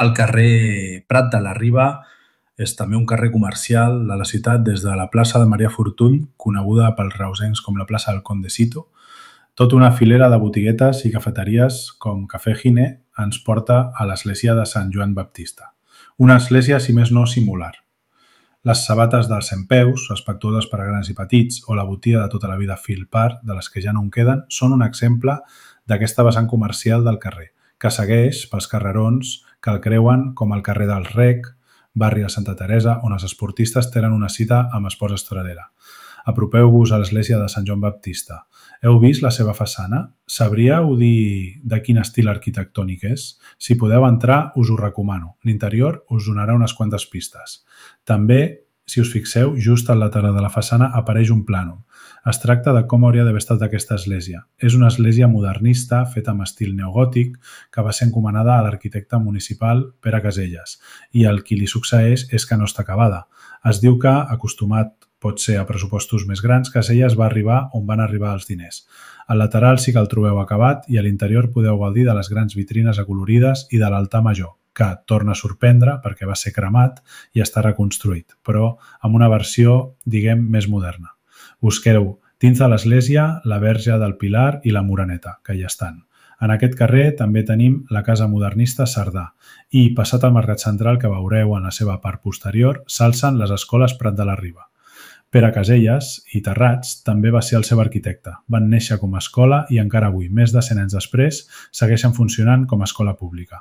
El carrer Prat de la Riba és també un carrer comercial de la ciutat des de la plaça de Maria Fortuny, coneguda pels reusencs com la plaça del Condesito. Tota una filera de botiguetes i cafeteries com Cafè Gine ens porta a l'església de Sant Joan Baptista. Una església, si més no, singular. Les sabates dels centpeus, respectuoses per a grans i petits, o la botiga de tota la vida Filpar, de les que ja no en queden, són un exemple d'aquesta vessant comercial del carrer, que segueix pels carrerons que el creuen com el carrer del Rec, barri de Santa Teresa, on els esportistes tenen una cita amb Esports Estradera. Apropeu-vos a l'església de Sant Joan Baptista. Heu vist la seva façana? Sabríeu dir de quin estil arquitectònic és? Si podeu entrar, us ho recomano. L'interior us donarà unes quantes pistes. També, si us fixeu, just al lateral de la façana apareix un plànol. Es tracta de com hauria d'haver estat aquesta església. És una església modernista, feta amb estil neogòtic, que va ser encomanada a l'arquitecte municipal Pere Caselles, i el qui li succeeix és que no està acabada. Es diu que, acostumat potser a pressupostos més grans, Caselles va arribar on van arribar els diners. Al lateral sí que el trobeu acabat i a l'interior podeu gaudir de les grans vitrines acolorides i de l'altar major, que torna a sorprendre perquè va ser cremat i està reconstruït, però amb una versió, diguem, més moderna. Busqueu dins de l'església la Verge del Pilar i la Moreneta, que hi estan. En aquest carrer també tenim la Casa Modernista Cerdà i, passat al Mercat Central que veureu en la seva part posterior, s'alcen les escoles Prat de la Riba. Pere Caselles i Terrats també va ser el seu arquitecte. Van néixer com a escola i encara avui, més de 100 anys després, segueixen funcionant com a escola pública.